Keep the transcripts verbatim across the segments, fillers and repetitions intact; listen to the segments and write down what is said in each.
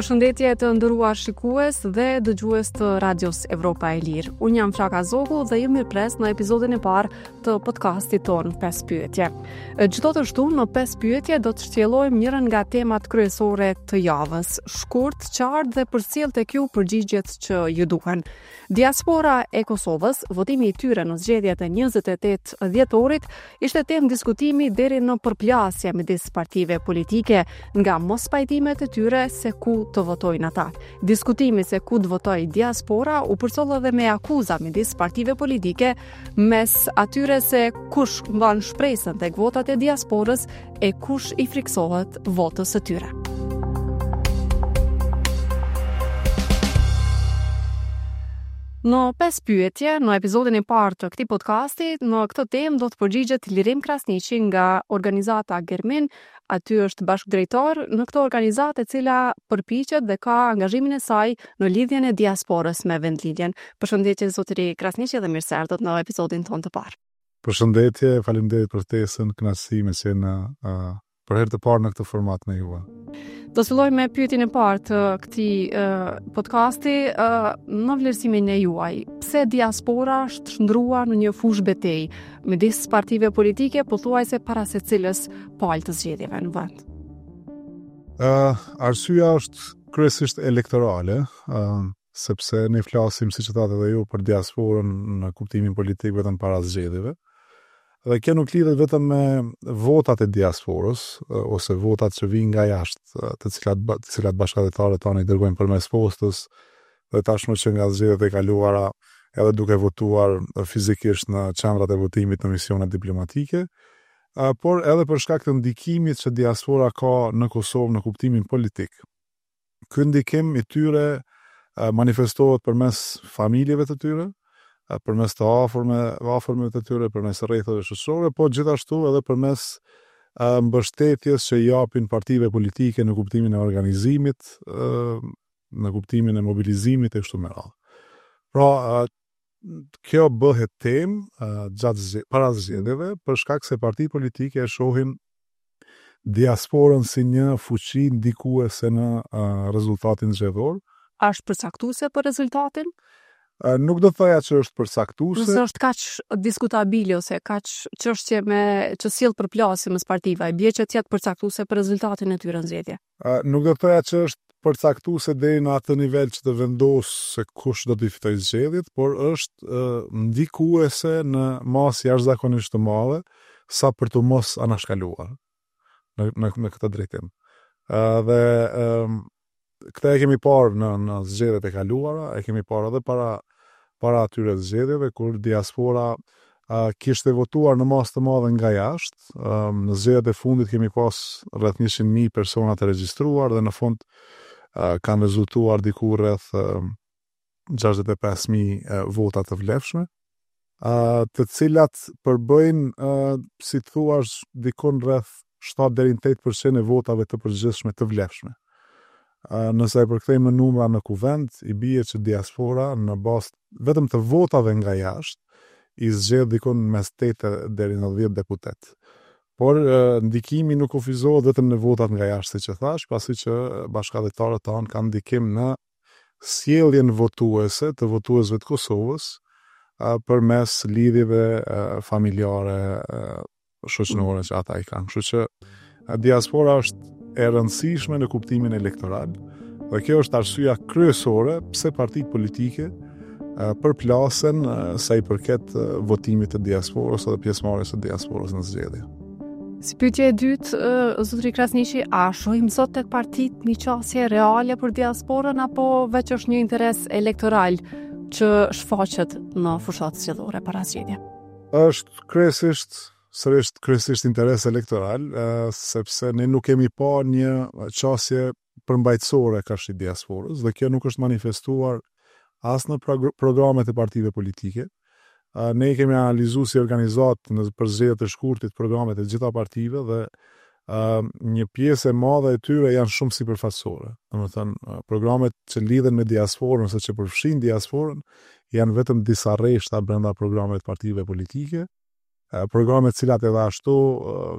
Përshëndetje të nderuar shikues dhe dëgjues të Radios Evropa e Lirë. Unë jam Flaka Zogu dhe ju mirëpres në episodin e parë të podcastit tonë pesë pyetje. Çdo të shtunë në pesë pyetje do të shtjellojmë njërën nga temat kryesore të javës, shkurt, qartë dhe përcjell tek ju përgjigjet që ju duhen. Diaspora e Kosovës, votimi i tyre në zgjedhjet e njëzet e tetë dhjetorit, ishte temë diskutimi deri në përplasje midis partive politike nga mospajtimet e tyre se ku të votojnë ata. Diskutimi se ku të votojë diaspora u përcoll edhe me akuza midis partive politike mes atyre se kush mban shpresën tek votat e diasporës e kush i friksohet votës së tyre. Në pesë pyetje, në episodin e parë të këtij podcasti, në këtë temë do të përgjigjet Lirim Krasniqi nga organizata Germin, aty është bashkëdrejtor në këtë organizatë e cila përpiqet dhe ka angazhimin e saj në lidhjen e diasporës me vendlindjen. Përshëndetje zotëri Krasniqi dhe mirë se erdhët në episodin tonë të parë. Përshëndetje, faleminderit për ftesën, kënaqësi me qenë uh, për herë të parë në këtë format me ju. Do të fillojmë me pyetjen e parë të këtij uh, podcasti, uh, në vlerësimin e juaj, pse diaspora është shndruar në një fushë betejë midis partive politike pothuajse para secilës palë të zgjedhjeve në vend? Uh, arsyeja është kryesisht elektorale, uh, sepse ne flasim, siç e thatë edhe ju, për diasporën në kuptimin politik vetëm para zgjedhjeve. Dhe kjo nuk lidhet vetëm me votat e diasporës ose votat që vijnë nga jashtë, të cilat të cilat bashkëdhetarët tanë i dërgojnë përmes postës dhe tashmë që nga zgjedhjet e kaluara edhe duke votuar fizikisht në qendrat e votimit në misionet diplomatike, por edhe për shkak të ndikimit që diaspora ka në Kosovë në kuptimin politik. Ky ndikim i tyre manifestohet përmes familjeve të tyre, përmes të afërme, afërmeve të tyre, përmes rretheve shoqërore, po gjithashtu edhe përmes mbështetjes që japin partive politike në kuptimin e organizimit, në kuptimin e mobilizimit e kështu me radhë. Pra, kjo bëhet temë gjatë para zgjedhjeve për shkak se partitë politike e shohin diasporën si një fuqi ndikuese në rezultatin zgjedhor. A është përcaktuese për rezultatin? Nuk do të thoja që është përcaktuese. Nëse është kaq diskutabile ose kaq çështje me që sjell përplasje mes partive, e bie që të jetë përcaktuese për rezultatin e tyre në zgjedhje. Nuk do të thoja që është përcaktuese deri në atë nivel që të vendos se kush do t'i fitojë zgjedhjet, por është ndikuese në masë jashtëzakonisht të madhe sa për të mos anashkaluar në në, në këtë drejtim. Dhe këtë e kemi parë në në zgjedhjet e kaluara, e kemi parë edhe para para atyre zgjedhjeve kur diaspora uh, kishte votuar në masë të madhe nga jashtë. Um, në zgjedhjet e fundit kemi pas rreth njëqind mijë persona të regjistruar dhe në fund uh, kanë rezultuar diku rreth uh, gjashtëdhjetë e pesë mijë uh, vota të vlefshme, uh, të cilat përbëjnë, uh, si të thuash, dikun rreth shtatë deri në tetë përcent e votave të përgjithshme të vlefshme. Nëse e përkthejmë në numra në kuvend, i bie që diaspora në bazë vetëm të votave nga jashtë i zgjedh dikun mes tetë deri në dhjetë deputet. Por ndikimi nuk kufizohet vetëm në votat nga jashtë, siç e thash, pasi që bashkëdhetarët tanë kanë ndikim në sjelljen votuese të votuesve të Kosovës përmes lidhjeve familjare, shoqërore që ata i kanë. Kështu që diaspora është e rëndësishme në kuptimin elektoral dhe kjo është arsyeja kryesore pse partitë politike përplasen sa i përket votimit të diasporës edhe pjesëmarrjes së diasporës në zgjedhje. Si pyetje e dytë, zotëri Krasniqi, a shohim sot tek partitë një qasje reale për diasporën apo veç është një interes elektoral që shfaqet në fushat zgjedhore para zgjedhje? Është kryesisht sërisht kryesisht interes elektoral, sepse ne nuk kemi pa një qasje përmbajtësore karshi diasporës dhe kjo nuk është manifestuar as në programet e partive politike. Ne kemi analizuar si organizatë në për zgjedhjet e shkurtit programet e gjitha partive dhe një pjesë e madhe e tyre janë shumë sipërfaqësore. Domethënë, programet që lidhen me diasporën ose që përfshin diasporën janë vetëm disa rreshta brenda programeve të partive politike. Programet cilat edhe ashtu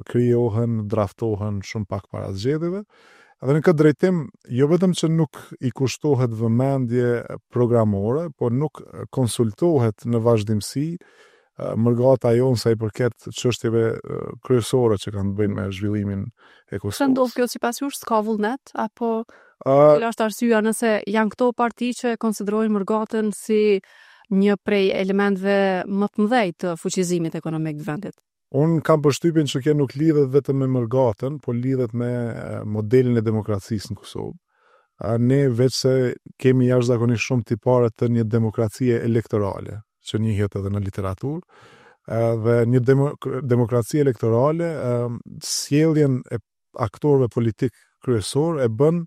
krijohen, draftohen shumë pak para zgjedhjeve Dhe në këtë drejtim, jo vetëm që nuk i kushtohet vëmendje programore, por nuk konsultohet në vazhdimësi mërgata jonë sa i përket çështjeve kryesore që kanë të bëjnë me zhvillimin e Kosovës. Pse ndodh kjo sipas jush, s'ka vullnet apo cila është arsyeja nëse janë këto parti që e konsiderojnë mërgatën si një prej elementëve më të mëdhenj të fuqizimit ekonomik të vendit? Unë kam përshtypjen që kjo nuk lidhet vetëm me mërgatën, por lidhet me modelin e demokracisë në Kosovë. Ne veçse kemi jashtëzakonisht shumë tipare të një demokracie elektorale, që njihet edhe në literaturë, dhe një demo, demokraci elektorale sjelljen e aktorëve politik kryesor e bën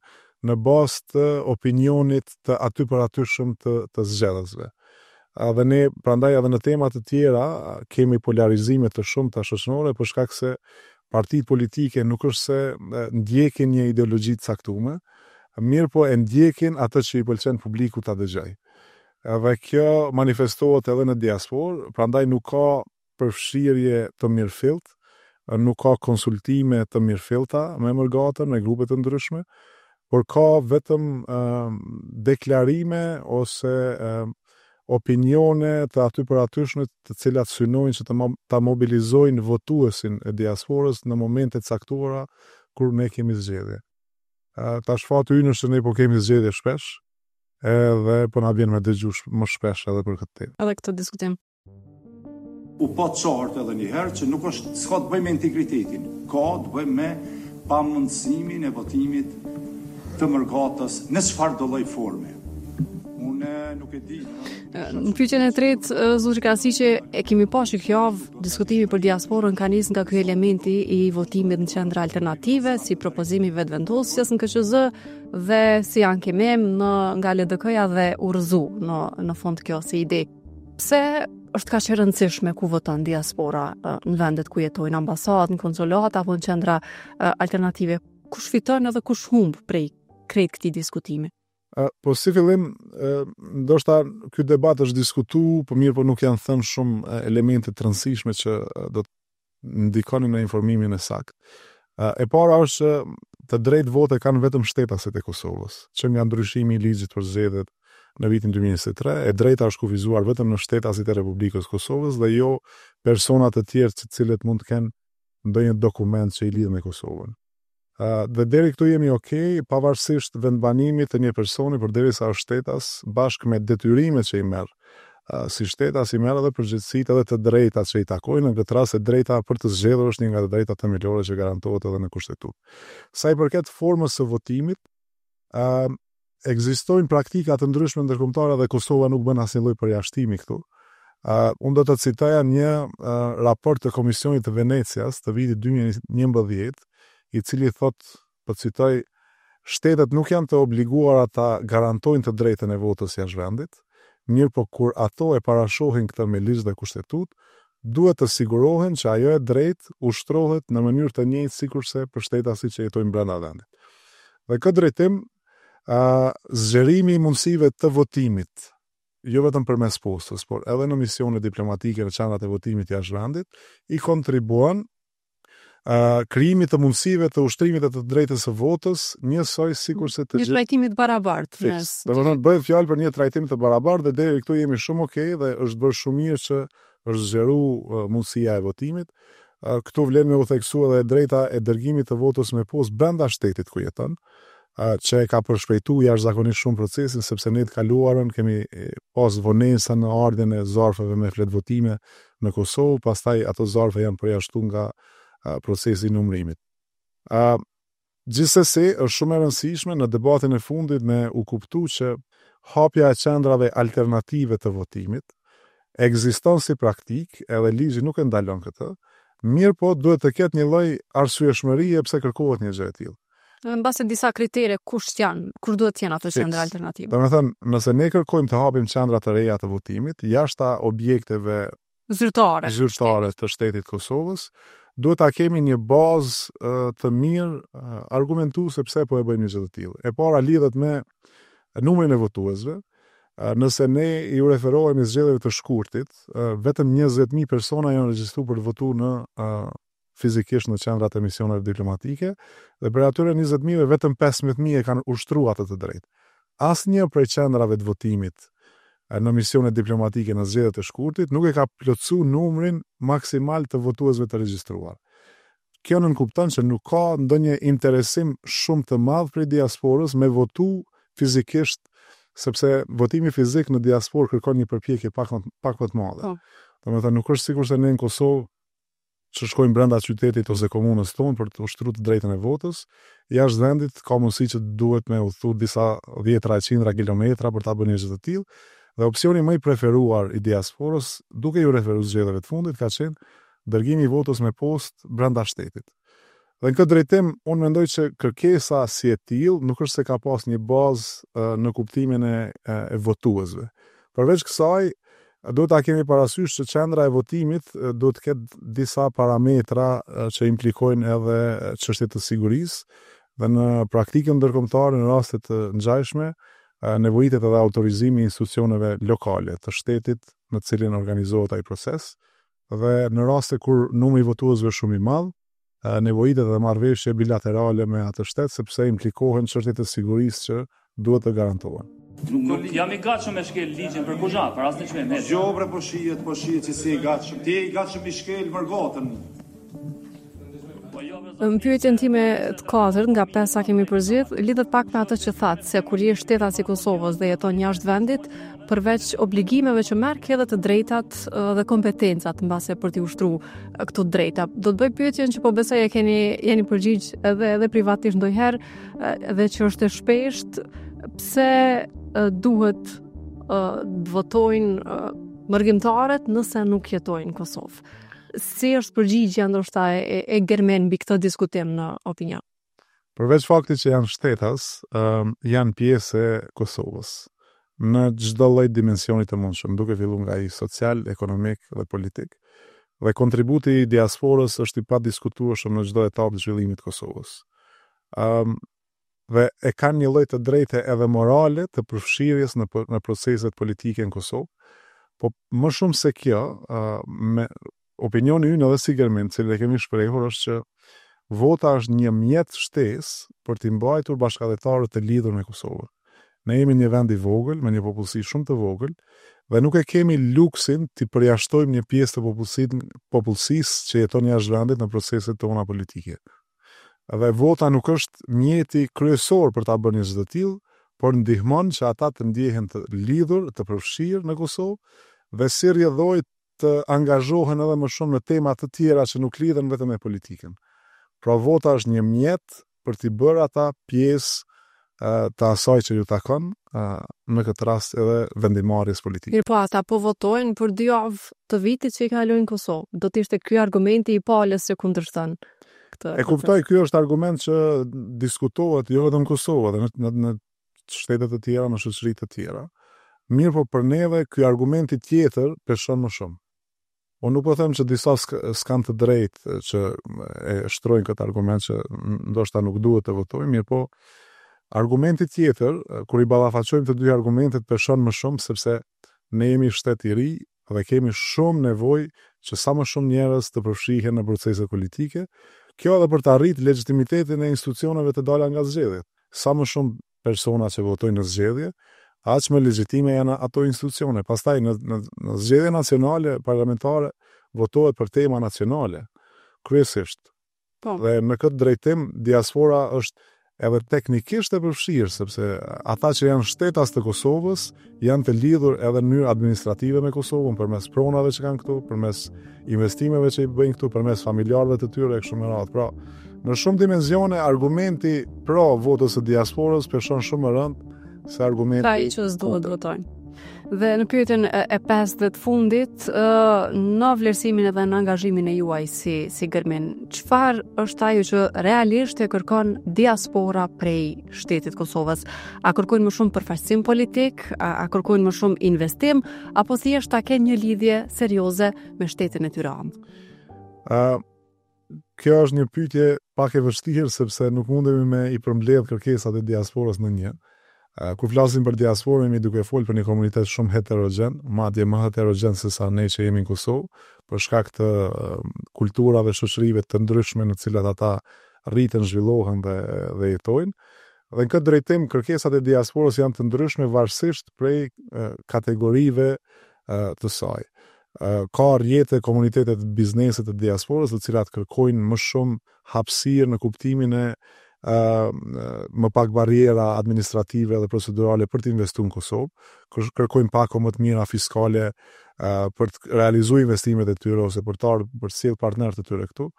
në bazë të opinionit të aty për atyshëm të, të zgjedhësve. Dhe ne, prandaj edhe në tema të tjera, kemi polarizime të shumta shoqërore, për shkak se partitë politike nuk është se ndjekin një ideologji të caktuar, mirë po e ndjekin atë që i pëlqen publiku ta dëgjojë. Edhe kjo manifestohet edhe në diasporë, prandaj nuk ka përfshirje të mirëfillt, nuk ka konsultime të mirëfillta me mërgatën, me grupe të ndryshme, por ka vetëm uh, deklarime ose uh, opinione të aty për atyshme të cilat synojnë që të ta mobilizojnë votuesin e diasporës në momente të caktuara kur ne kemi zgjedhje. Uh, tash fati ynë është që ne po kemi zgjedhje shpesh, edhe po na vjen me dëgju më shpesh edhe për këtë temë. Edhe këtë diskutim. U pa qartë edhe një herë që nuk është s'ka të bëjë me integritetin, ka të bëjë me pamundësimin e votimit të mërgatës në çfarë do lloj forme. Unë nuk e di. Në pyetjen e tretë, zotri Krasniqi, e kemi pa që kjo javë diskutimi për diasporën ka nisë nga ky elementi i votimit në qendra alternative, si propozimi vetëvendosjes në K Q Z dhe si ankimim në nga L D K-ja dhe u rrëzu në në fund kjo si ide. Pse është kaq e rëndësishme ku voton diaspora në vendet ku jetojnë, ambasadë, në konsulat apo në qendra alternative? Kush fiton edhe kush humb prej krejt këtij diskutimi? Po si fillim, ndoshta ky debat është diskutu, po mirë po nuk janë thënë shumë elemente të rëndësishme që do të ndikonin në informimin e saktë. E para është që të drejtë vote kanë vetëm shtetasit e Kosovës, që nga ndryshimi i ligjit për zgjedhjet në vitin dy mijë e njëzet e tre, e drejta është kufizuar vetëm në shtetasit e Republikës së Kosovës dhe jo persona të tjerë të cilët mund të kenë ndonjë dokument që i lidh me Kosovën. Uh, dhe deri këtu jemi okay, pavarësisht vendbanimit të një personi, përderisa është shtetas, bashkë me detyrimet që i merr. Uh, si shtetas i merr edhe përgjegjësitë edhe të drejtat që i takojnë, në këtë rast e drejta për të zgjedhur është një nga të drejtat themelore që garantohet edhe në Kushtetutë. Sa i përket formës së votimit, uh, ekzistojnë praktika të ndryshme ndërkombëtare dhe Kosova nuk bën asnjë lloj përjashtimi këtu. Uh, unë do të citoja një uh, raport të Komisionit të Venecias të vitit dy mijë e njëmbëdhjetë, i cili thot, po citoj, shtetet nuk janë të obliguara ta garantojnë të drejtën e votës jashtë vendit, mirë po kur ato e parashohin këtë me ligj dhe kushtetut, duhet të sigurohen që ajo e drejtë ushtrohet në mënyrë të njëjtë sikurse për shtetasit që jetojnë brenda vendit. Dhe këtë drejtim, uh, zgjerimi i mundësive të votimit, jo vetëm përmes postës, por edhe në misione diplomatike në qendrat e votimit jashtë vendit, i kontribuon Uh, krijimit të mundësive të ushtrimit të të drejtës së votës, njësoj sikurse të gjithë. Një trajtim të barabartë. Fiks. Domethënë bëhet fjalë për një trajtim të barabartë dhe deri këtu jemi shumë okay dhe është bërë shumë mirë që është zgjeru uh, mundësia e votimit. Uh, këtu vlen me u theksu edhe e drejta e dërgimit të votës me postë brenda shtetit ku jeton, uh, që e ka përshpejtu jashtëzakonisht shumë procesin, sepse ne të kaluarën kemi pas vonesa në ardhjen e zarfeve me fletvotime në Kosovë, pastaj ato zarfe janë përjashtuar nga procesi i numërimit. Uh, gjithsesi, është shumë e rëndësishme në debatin e fundit me u kuptu që hapja e qendrave alternative të votimit ekziston si praktik, edhe ligji nuk e ndalon këtë, mirë po duhet të ketë një lloj arsyeshmërie pse kërkohet një gjë e tillë. Në mbase disa kritere kush janë, kur duhet të jenë ato qendra alternative. Domethënë, nëse ne kërkojmë të hapim qendra të reja të votimit, jashtë objekteve zyrtare, zyrtare të shtetit Kosovës, duhet ta kemi një bazë të mirë argumentuese pse po e bëjmë një gjë të tillë. E para lidhet me numrin e votuesve. Nëse ne i referohemi zgjedhjeve të shkurtit, vetëm njëzet mijë persona janë regjistruar për të votuar në fizikisht në qendrat e misioneve diplomatike dhe prej atyre njëzet mijë vetëm pesëmbëdhjetë mijë e kanë ushtruar atë të drejtë. Asnjë prej qendrave të votimit në misionet diplomatike në zgjedhjet e shkurtit nuk e ka plotësuar numrin maksimal të votuesve të regjistruar. Kjo nënkupton që nuk ka ndonjë interesim shumë të madh prej diasporës me votu fizikisht, sepse votimi fizik në diasporë kërkon një përpjekje pak më, pak më të madhe. Po. Domethënë nuk është sikurse ne në Kosovë që shkojmë brenda qytetit ose komunës tonë për të ushtruar të drejtën e votës, jashtë vendit ka mundësi që duhet me udhëtu disa dhjetra e qindra kilometra për ta bërë një gjë të tillë. Dhe opsioni më i preferuar i diasporës, duke ju referuar zgjedhjeve të fundit, ka qenë dërgimi i votës me postë brenda shtetit. Dhe në këtë drejtim, unë mendoj që kërkesa si e tillë nuk është se ka pas një bazë, ë, në kuptimin e, e, e votuesve. Përveç kësaj, duhet ta kemi parasysh që qendra e votimit, ë, duhet të ketë disa parametra, ë, që implikojnë edhe çështje të sigurisë, dhe në praktikën ndërkombëtare në raste të ngjashme, ë, nevojitet edhe autorizimi i institucioneve lokale të shtetit në të cilin organizohet ai proces, dhe në raste kur numri i votuesve është shumë i madh, ë, nevojitet edhe marrëveshje bilaterale me atë shtet, sepse implikohen çështje të sigurisë që duhet të garantohen. Nuk jam i gatshëm me shkel ligjin për kuzha, për asnjë çmim. Jo, bre, po shihet, po shihet që si i gatshëm. Ti je i gatshëm i shkel mërgatën. Po jo, bre, Në pyetjen time të katërt nga pesa kemi përzgjedh, lidhet pak me atë që thatë, se kur je shtetas i Kosovës dhe jeton jashtë vendit, përveç obligimeve që merr, ke edhe të drejtat, ë, dhe kompetencat mbase për t'i ushtruar këto drejta. Do të bëj pyetjen që po besoj e keni jeni përgjigj edhe edhe privatisht ndonjëherë, ë, edhe që është e shpesht, pse, ë, duhet, ë, të votojnë, ë, mërgimtarët nëse nuk jetojnë në Kosovë? Si është përgjigjja ndoshta e, e, e Gërmen mbi këtë diskutim në opinion? Përveç faktit që janë shtetas, ëm, janë pjesë e Kosovës në çdo lloj dimensioni të mundshëm, duke filluar nga ai social, ekonomik dhe politik. Dhe kontributi i diasporës është i padiskutueshëm në çdo etapë të zhvillimit të Kosovës. Ëm, dhe e kanë një lloj të drejte edhe morale të përfshirjes në po-, në proceset politike në Kosovë. Po më shumë se kjo, ë, me opinioni ynë edhe si Gërmin, të cilin e kemi shprehur, është që vota është një mjet shtesë për t'i mbajtur bashkëdhetarët të lidhur me Kosovën. Ne jemi një vend i vogël, me një popullsi shumë të vogël, dhe nuk e kemi luksin t'i përjashtojmë një pjesë të popullsit-, popullsisë që jeton jashtë vendit në proceset tona politike. Dhe vota nuk është mjeti kryesor për ta bërë një gjë të tillë, por ndihmon që ata të ndjehen të lidhur, të përfshirë në Kosovë dhe si rrjedhojë të angazhohen edhe më shumë në tema të tjera që nuk lidhen vetëm me politikën. Pra vota është një mjet për t'i bërë ata pjesë, ë, të asaj që ju takon, ë, në këtë rast edhe vendimarrjes politike. Mirë po, ata po votojnë për dy javë të vitit që i kalojnë në Kosovë. Do të ishte ky argumenti i palës që kundërshton këtë E kuptoj, ky është argument që diskutohet jo vetëm në Kosovë, edhe në, në, në shtete të tjera, në shoqëri të tjera. Mirë po për neve ky argumenti tjetër peshon më shumë. Unë nuk po them që disa s'k-, s'kan të drejtë që e shtrojnë këtë argument që ndoshta nuk duhet të votojnë, mirë po argumenti tjetër, kur i ballafaqojmë të dy argumentet, peshon më shumë sepse ne jemi shtet i ri dhe kemi shumë nevojë që sa më shumë njerëz të përfshihen në proceset politike. Kjo edhe për të arritur legjitimitetin e institucioneve të dala nga zgjedhjet. Sa më shumë persona që votojnë në zgjedhje, aq më legjitime janë ato institucione. Pastaj në, në, në zgjedhje nacionale, parlamentare, votohet për tema nacionale, kryesisht. Po. Dhe në këtë drejtim, diaspora është edhe teknikisht e përfshirë, sepse ata që janë shtetas të Kosovës janë të lidhur edhe në mënyrë administrative me Kosovën, përmes pronave që kanë këtu, përmes investimeve që i bëjnë këtu, përmes familjarëve të tyre e kështu me radhë. Pra, në shumë dimensione argumenti pro votës së diasporës peshon shumë më rënd se argumenti Pra, i që s'duhet kundër. votojnë. Dhe në pyetjen e, e pestë dhe të fundit, ë, në vlerësimin edhe në angazhimin e juaj si, si Gërmin, çfarë është ajo që realisht e kërkon diaspora prej shtetit Kosovës? A kërkojnë më shumë përfaqësim politik, a, a kërkojnë më shumë investim, apo thjesht ta kenë një lidhje serioze me shtetin e tyre amë? Ë, kjo është një pyetje pak e vështirë sepse nuk mundemi me i përmbledh kërkesat e diasporës në një. Kur flasim për diasporën, jemi duke folë për një komunitet shumë heterogjen, madje më heterogjen se sa ne që jemi në Kosovë, për shkak të kulturave, shoqërive të ndryshme në cilat ata rriten, zhvillohen dhe, dhe jetojnë. Dhe në këtë drejtim, kërkesat e diasporës janë të ndryshme varësisht prej kategorive të saj. Ka rrjete, komunitetet, bizneset të diasporës, të cilat kërkojnë më shumë hapësirë në kuptimin e më pak barriera administrative dhe procedurale për të investuar në Kosovë, kërkojnë pako më të mira fiskale për të realizuar investimet e tyre ose për të ardhur për të sjellë partnerët e tyre këtu.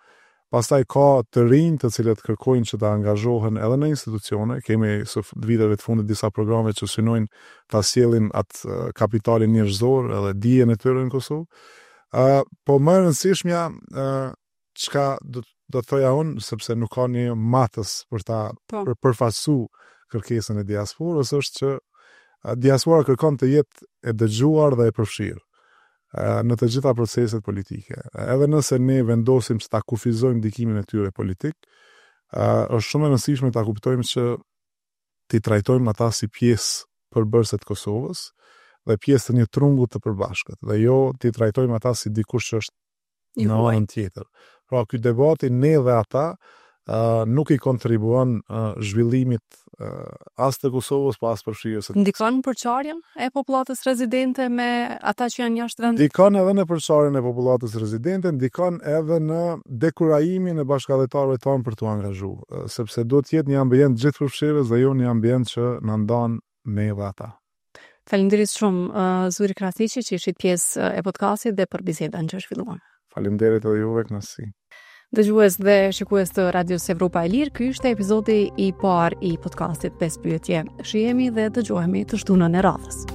Pastaj ka të rinj të cilët kërkojnë që të angazhohen edhe në institucione. Kemi së viteve të fundit disa programe që synojnë ta sjellin atë kapitalin njerëzor edhe dijen e tyre në Kosovë. Uh, po më e rëndësishmja, uh, çka do do të thoja unë, sepse nuk ka një matës për ta po. për përfaqësu kërkesën e diasporës, është që diaspora kërkon të jetë e dëgjuar dhe e përfshirë në të gjitha proceset politike. Edhe nëse ne vendosim që ta kufizojmë ndikimin e tyre politik, është shumë e rëndësishme ta kuptojmë që t'i trajtojmë ata si pjesë përbërëse të Kosovës dhe pjesë të një trungu të përbashkët, dhe jo t'i trajtojmë ata si dikush që është në anën tjetër. Pra, ky debati ne dhe ata uh, nuk i kontribuon uh, zhvillimit uh, as të Kosovës, po as përfshirjes. Ndikon përçarjen e popullatës rezidente me ata që janë jashtë vendit? Ndikon edhe në përçarjen e popullatës rezidente, ndikon edhe në dekurajimin e bashkëdhetarëve tanë për t'u angazhuar, sepse duhet të jetë një ambient gjithëpërfshirës dhe jo një ambient që na ndan ne dhe ata. Faleminderit shumë uh, Zuri Krasniqi që ishit pjesë e podcastit dhe për bisedën që zhvilluam. Faleminderit edhe juve, kënaqësi. Dëgjues dhe shikues të Radios Evropa e Lirë, ky ishte epizodi i parë i podcastit pesë pyetje. Shihemi dhe dëgjohemi të shtunën e radhës.